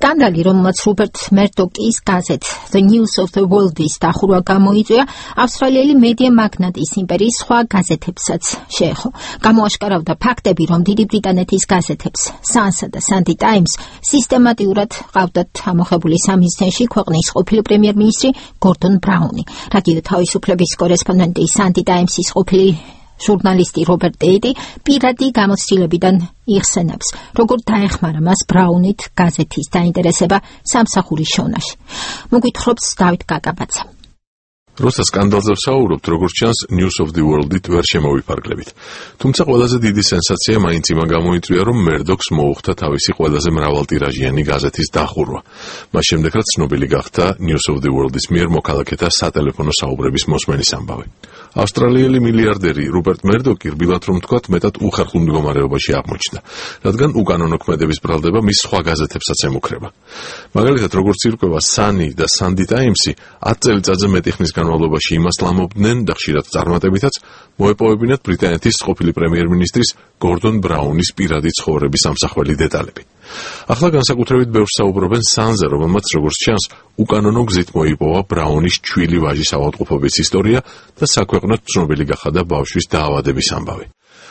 სკანდალი, რომელმაც რობერტ მერდოკის გაზეთ The News of the World-ის დახურვა გამოიწვია, ავსტრალიელი მედია მაგნატის იმპერიის სხვა გაზეთებსაც შეეხო. გამოაშკარავდა ფაქტები, რომ დიდი ბრიტანეთის გაზეთებს Sun's და Sunday Times სისტემატიურად ყავდათ ამოხებული სამის წენში ქვეყნის ყოფილი პრემიერ-მინისტრი გორდონ ბრაუნი. რადიო თავისუფლების კორესპონდენტი Sunday Times-ის ყოფილი ჟურნალისტი რობერტ ტეიტი პირადი გამოცდილებიდან იხსენებს, როგორ დაეხმარა მას ბრაუნით გაზეთის დაინტერესება სამსახურის შონაში. მოგვითხრობს დავით გაგაბაცა. როცა სკანდალზე ვსაუბრობთ, როგორც ჩანს, News of the World-ით ვერ შემოვიფარგლებით. თუმცა ყველაზე დიდი სენსაცია მაინც იმან გამოიწვია, რომ მერდოკს მოუხდა თავისი ყველაზე მრავალტირაჟიანი გაზეთის დახურვა. მას შემდეგ, რაც ცნობილი გახდა News of the World-ის მიერ მოქალაქეთა სატელეფონო საუბრების მოსმენის ამბავი. ავსტრალიელი მილიარდერი რუპერტ მერდოკი, რბილად რომ თქვათ, მეტად უხერხულ მდგომარეობაში აღმოჩნდა, რადგან უკანონო ქმედების ბრალდება მის სხვა გაზეთებსაც ემუქრება. მაგალითად, როგორც ირკვევა Sunny და Sunday Times-ი 10 წელიწადზე მეტი ხნის განმავლობაში იმას ლამობდნენ და ხშირად წარმატებითაც მოეპოვებინათ ბრიტანეთის ყოფილი პრემიერ-მინისტრის გორდონ ბრაუნის პირადი ცხოვრების ამსახველი დეტალები. ახლა განსაკუთრებით ბევრს საუბრობენ Sun's-ზე, რომელმაც როგორც ჩანს, უკანონო გზით მოიპოვა ბრაუნის ჩვილი ვაჟის ავადმყოფობის ისტორია და საქვეყნოდ ცნობილი გახადა ბავშვის დაავადების ამბავი.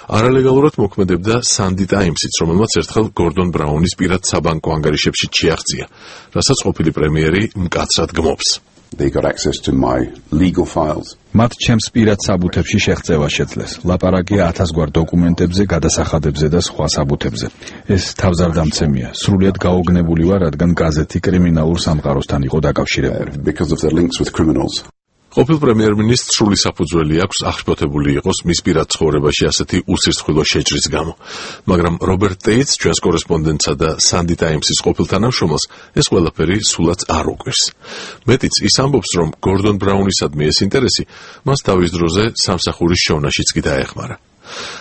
არალეგალურად მოქმედებდა Sunday Times-იც, რომელმაც ერთხელ გორდონ ბრაუნის პირად საბანკო ანგარიშებში ჩიაღწია, რასაც ყოფილი პრემიერი მკაცრად გმობს. They got access to my legal files. მათ ჩემს პირად საბუთებში შეღწევა შეძლეს. ლაპარაკია 1000 გვარ დოკუმენტებზე, გადასახადებზე და სხვა საბუთებზე. ეს თავზარდამცემია. სრულიად გაოგნებული ვარ, რადგან გაზეთი კრიმინალურ სამყაროსთან იყო დაკავშირებული. Because of their links with criminals. ყოფილ პრემიერ-მინისტრს სრული საფუძველი აქვს აღშფოთებული იყოს მის პირად ცხოვრებაში ასეთი უსირცხვილო შეჭრის გამო. მაგრამ რობერტ ტეიტს, ჩვენს კორესპონდენტსა და Sunday Times-ის ყოფილ თანამშრომელს, ეს ყველაფერი სულაც არ უყვირს. მეტიც ის ამბობს, რომ გორდონ ბრაუნისადმი ეს ინტერესი მას თავის დროზე სამსახურის შოვნაშიც კი დაეხმარა.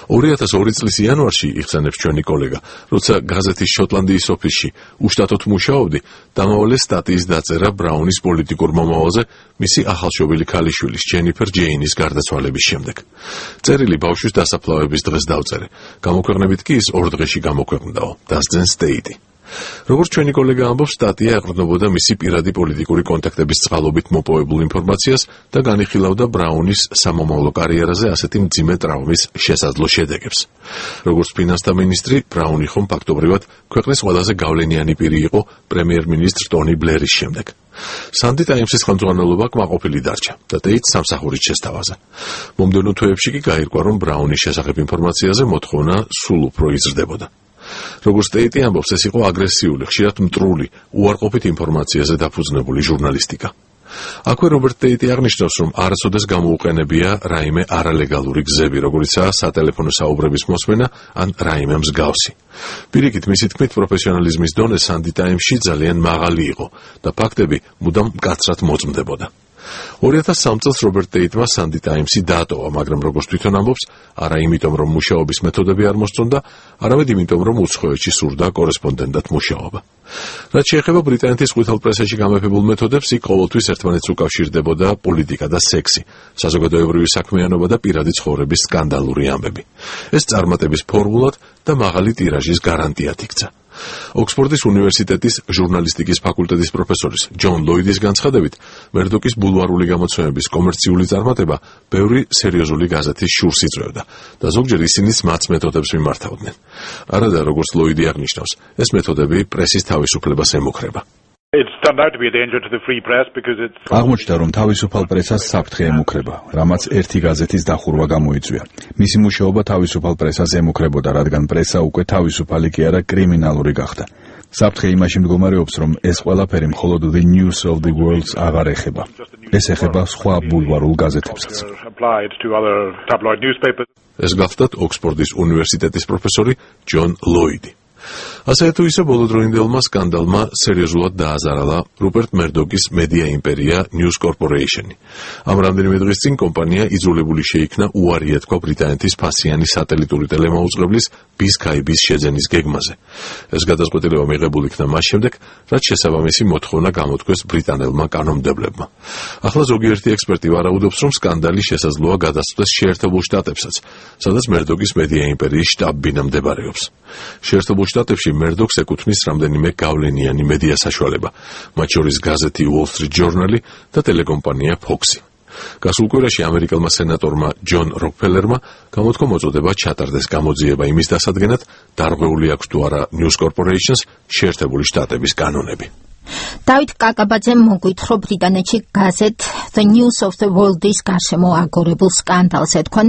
2002 წლის იანვარში, იხსენებს ჩვენი კოლეგა, როცა გაზეთის შოტლანდიის ოფისში უშტატოდ მუშაობდი, დამავალე სტატიის დაწერა ბრაუნის პოლიტიკურ მომავალზე მისი ახალშობილი ქალიშვილის ჯენიფერ ჯეინის გარდაცვალების შემდეგ. წერილი ბავშვის დასაფლავების დღეს დავწერე. გამოქვეყნებით კი ის 2 დღეში გამოქვეყნდაო, დასძენს ტეიტი. როგორც ჩვენი კოლეგა ამბობს, სტატია ეყრდნობოდა მისი პირადი პოლიტიკური კონტაქტების წყალობით მოპოვებულ ინფორმაციას და განიხილავდა ბრაუნის სამომავლო კარიერაზე ასეთი მძიმე ტრავმის შესაძლო შედეგებს. როგორც ფინანსთა მინისტრი, ბრაუნი ხომ ფაქტობრივად ქვეყნის ყველაზე გავლენიანი პირი იყო პრემიერ-მინისტრ ტონი ბლერის შემდეგ. Sunday Times-ის ხელმძღვანელობა კმაყოფილი დარჩა და ტეიტს სამსახურით შესთავაზა. მომდევნო თვეებში კი გაირკვა, რომ ბრაუნის შესახებ ინფორმაციაზე მოთხოვნა სულ უფრო იზრდებოდა. როგორც ტეიტი ამბობს, ეს იყო აგრესიული, ხშირად მტრული, უარყოფით ინფორმაციაზე დაფუძნებული ჟურნალისტიკა. აქვე რობერტ ტეიტი აღნიშნავს, რომ არასოდეს გამოუყენებია რაიმე არალეგალური გზები, როგორიცაა სატელეფონო საუბრების მოსმენა ან რაიმე მსგავსი. პირიქით, მისი თქმით, პროფესიონალიზმის დონე Sunday Times-ში ძალიან მაღალი იყო და ფაქტები მუდამ მკაცრად მოწმდებოდა. 2003 წელს რობერტ ტეიტმა Sunday Times-ი დაატოვა, მაგრამ როგორც თვითონ ამბობს, არა იმიტომ, რომ მუშაობის მეთოდები არ მოსწონდა, არამედ იმიტომ, რომ უცხოეთში სურდა კორესპონდენტად მუშაობა. რაც შეეხება ბრიტანეთის ყვითელ პრესაში გამეფებულ მეთოდებს, იქ ყოველთვის ერთმანეთს უკავშირდებოდა პოლიტიკა და სექსი, საზოგადოებრივი საქმიანობა და პირადი ცხოვრების სკანდალური ამბები. ეს წარმატების ფორმულად და მაღალი ტირაჟის გარანტიად იქცა. ოქსფორდის უნივერსიტეტის ჟურნალისტიკის ფაკულტეტის პროფესორის ჯონ ლოიდის განცხადებით, მერდოკის ბულვარული გამოცემების კომერციული წარმატება ბევრი სერიოზული გაზეთის შურს იწვევდა და ზოგჯერ ისინიც მათ მეთოდებს მიმართავდნენ. არადა, როგორც ლოიდი აღნიშნავს, ეს მეთოდები პრესის თავისუფლებას ემუქრება. აღმოჩნდა, რომ თავისუფალ პრესას საფრთხე ემუქრება, რამაც ერთი გაზეთის დახურვა გამოიწვია. მისი მუშაობა თავისუფალ პრესას ემუქრებოდა, რადგან პრესა უკვე თავისუფალი კი არა კრიმინალური გახდა. საფრთხე იმაში მდგომარეობს, რომ ეს ყველაფერი მხოლოდ The News of the World-ს აღარ ეხება. ეს ეხება სხვა ბულვარულ გაზეთებსაც. ეს გახლდათ ოქსფორდის უნივერსიტეტის პროფესორი ჯონ ლოიდი. ასე თუ ისე ბოლოდროინდელმა სკანდალმა სერიოზულად დააზარალა რუპერტ მერდოკის მედია იმპერია News Corporation-ი. ამ რამდენიმე დღის წინ კომპანია იძულებული შეიქნა უარი ეთქვა ბრიტანეთის ფასიანი სატელიტური ტელემაუწყებლის BSkyB-ის შეძენის გეგმაზე. ეს გადაწყვეტილება მიღებული იქნა მას შემდეგ, რაც შესაბამისი მოთხოვნა გამოთქვეს ბრიტანელმა კანონმდებლებმა. ახლა ზოგიერთი ექსპერტი ვარაუდობს, რომ სკანდალი შესაძლოა გადასცდეს შეერთებულ შტატებსაც, სადაც მერდოკის მედია იმპერიის შტაბ-ბინა მდებარეობს. შეერთებულ შტატებში მერდოქს ეკუთვნის რამდენიმე გავლენიანი მედია საშუალება, მათ შორის გაზეთი Wall Street Journal და ტელეკომპანია Fox-ი. გასულ კვირაში ამერიკელმა სენატორმა ჯონ როკფელერმა გამოთქო მოწოდება ჩატარდეს გამოძიება იმის დასადგენად, დარღვეული აქვს თუ არა News Corporation-ს შეერთებული შტატების კანონები. დავით კაკაბაძემ მოგვითხრა ბრიტანეთში გაზეთ The News of the World-ის გარშემო აგორებულ სკანდალს ეთქვან